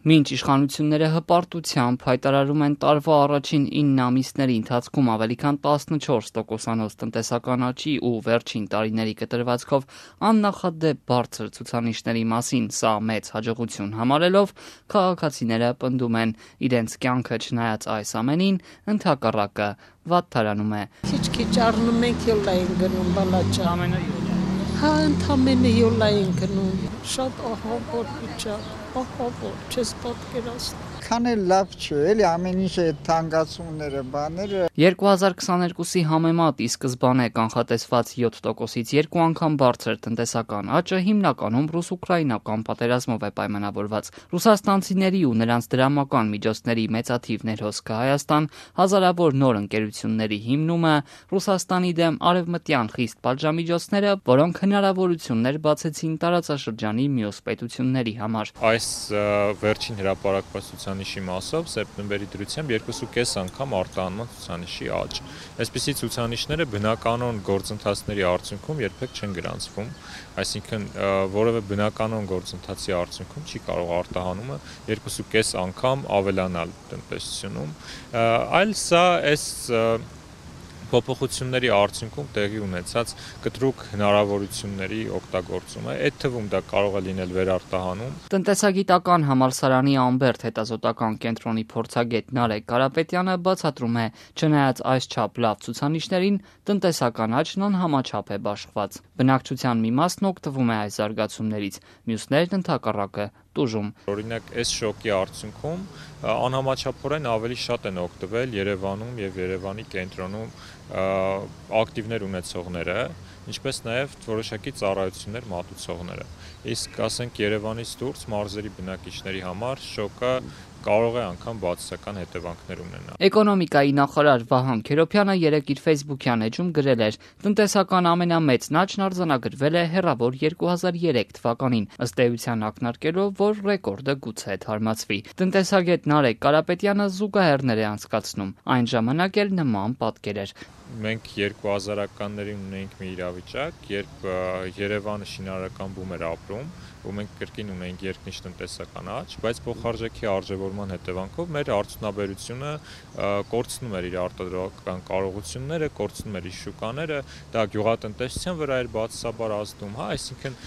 Մինչ իշխանությունները հպարտությամբ հայտարարում են տարվա առաջին 9 ամիսների ընթացքում ավելի քան 14%-անոց տնտեսական աճի ու վերջին տարիների կտրվածքով աննախադեպ բարձր ցուցանիշների մասին սա մեծ հաջողություն համարելով, քաղաքացիները պնդում են իրենց կյանքը չնայած այս ամենին ընդհակառակը վատթարանում է։ Քիչ-քիչ առնում ենք յոլա են գնում բալաճան։ Ընդամենը յոլա են գնում։ Շատ ահավոր վիճակ, ահավոր, չես պատկերացնի։ Քան էլ լավ չէ, էլի ամեն ինչ է թանկացումները, բաները։ 2022-ի համեմատ ի սկզբանե կանխատեսված 7%-ից երկու անգամ բարձր տնտեսական աճը հիմնականում ռուս-ուկրաինական պատերազմով է պայմանավորված։ Ռուսաստանցիների ու նրանց դրամական միջոցների մեծաթիվ ներհոսքը Հայաստան, հազարավոր նոր ընկերությունների հիմնումը, Ռուսաստանի դեմ արևմտյան խիստ պատժամիջոցները, որոնք հնարավորություններ բացեցին տարածաշրջանի մյուս պետությունների համար։ Այս վերջին հրապարակված ցուցանիշի մասով սեպտեմբերի դրությամբ 2.5 անգամ արտահանման ցուցանիշի աճ։ Այսպիսի ցուցանիշները բնականon գործընթացների արդյունքում երբեք չեն գրանցվում, այսինքն որևէ բնականon գործընթացի արդյունքում չի կարող արտահանումը 2.5 անգամ ավելանալ տնտեսությունում, այլ սա այս փոփոխությունների արդյունքում տեղի ունեցած կտրուկ հնարավորությունների օգտագործում է, այդ թվում դա կարող է լինել վերարտահանում։ Տնտեսագիտական համալսարանի Ամբերտ հետազոտական կենտրոնի փորձագետ Նարեկ Կարապետյանը բացատրում է, չնայած այսչափ լավ ցուցանիշներին, տնտեսական աճն անհամաչափ է բաշխված։ Բնակչության մի մասն օգտվում է այս զարգացումներից, մյուսներն ընդհակառակը տուժում։ Օրինակ, այս շոկի արդյունքում անհամաչափորեն ավելի շատ են օգտվել Երևանում եւ Երևանի կենտրոնում ակտիվներ ունեցողները, ինչպես նաև որոշակի ծառայություններ մատուցողները։ Իսկ ասենք Երևանից դուրս մարզերի բնակիչների համար շոկը կարող է անգամ բացասական հետևանքներ ունենալ։ Էկոնոմիկայի նախարար Վահան Քերոբյանը երեկ իր Facebook-յան էջում գրել էր. տնտեսական ամենամեծ աճն արձանագրվել է հեռավոր 2003 թվականին, ըստ էության ակնարկելով, որ ռեկորդը գուցե թարմացվի։ Տնտեսագետ Նարեկ Կարապետյանը զուգահեռներ է անցկացնում, այն ժամանակ էլ նման պատկեր էր։ Մենք 2000-ականներին ունեինք մի իրավիճակ, երբ Երևանը շինարարական բում էր ապրում, ու մենք կրկին ունեինք երկնիշ տնտեսական աճ, բայց փոխարժեքի արժևորման հետևանքով մեր արդյունաբերությունը կորցնում էր իր արտադրական կարողությունները, կորցնում էր իր շուկաները, դա գյուղատնտեսության վրա էր բացասաբար ազդում, այսինքն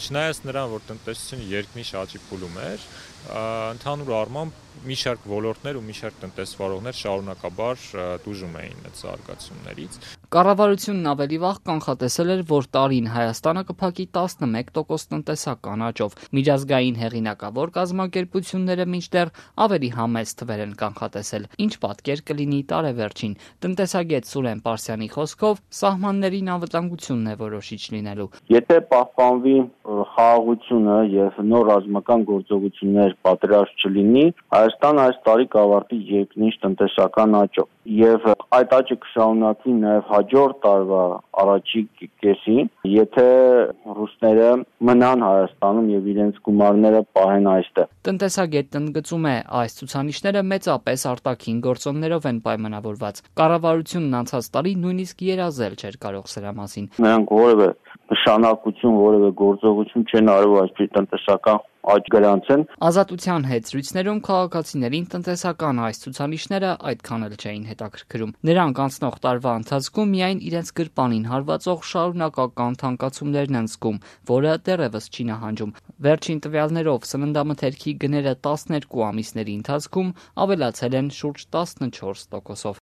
չնայած նրան, որ տնտեսությունը երկնիշ աճի փուլում էր, ընդհանուր առմամբ մի շարք ոլորտներ ու մի շարք տնտեսվարողներ շարունակաբար տուժում էին այդ զարգացումներից։ Կառավարությունն ավելի վաղ կանխատեսել էր, որ տարին Հայաստանը կփակի 11% տնտեսական աճով։ Միջազգային հեղինակավոր կազմակերպությունները մինչդեռ ավելի համեստ թվեր են կանխատեսել։ Ինչ պատկեր կլինի տարեվերջին։ Տնտեսագետ Սուրեն Պարսյանի խոսքով սահմաններին անվտանգությունն է որոշիչ լինելու։ Եթե պահպանվի խաղաղությունը եւ նոր ռազմական գործողություններ պատրաստ չլինի, Հայաստանը այս տարի կավարտի երկնիշ տնտեսական աճով եւ այդ աճը կշարունակվի նաեւ հաջորդ տարվա առաջի կեսին, եթե ռուսները մնան Հայաստանում եւ իրենց գումարները պահեն այստեղ։ Տնտեսագետն ընդգծում է, այս ցուցանիշները մեծապես արտաքին գործոններով են պայմանավորված։ Կառավարությունն անցած տարի նույնիսկ երազել չէր կարող սրա մասին։ Նրանք որևէ նշանակություն, որևէ գործողություն չեն արել այսպես տնտեսական աճ գրանցեն։ Ազատության հետ զրույցներում քաղաքացիներին տնտեսական այս ցուցանիշները այդքան էլ չէին հետաքրքրում։ Նրանք անցնող տարվա ընթացքում միայն իրենց գրպանին հարվածող շարունակական թանկացումներն են զգում, որը դեռևս չի նահանջում։ Վերջին տվյալներով սննդամթերքի գները 12 ամիսների ընթացքում ավելացել են շուրջ 14%-ով։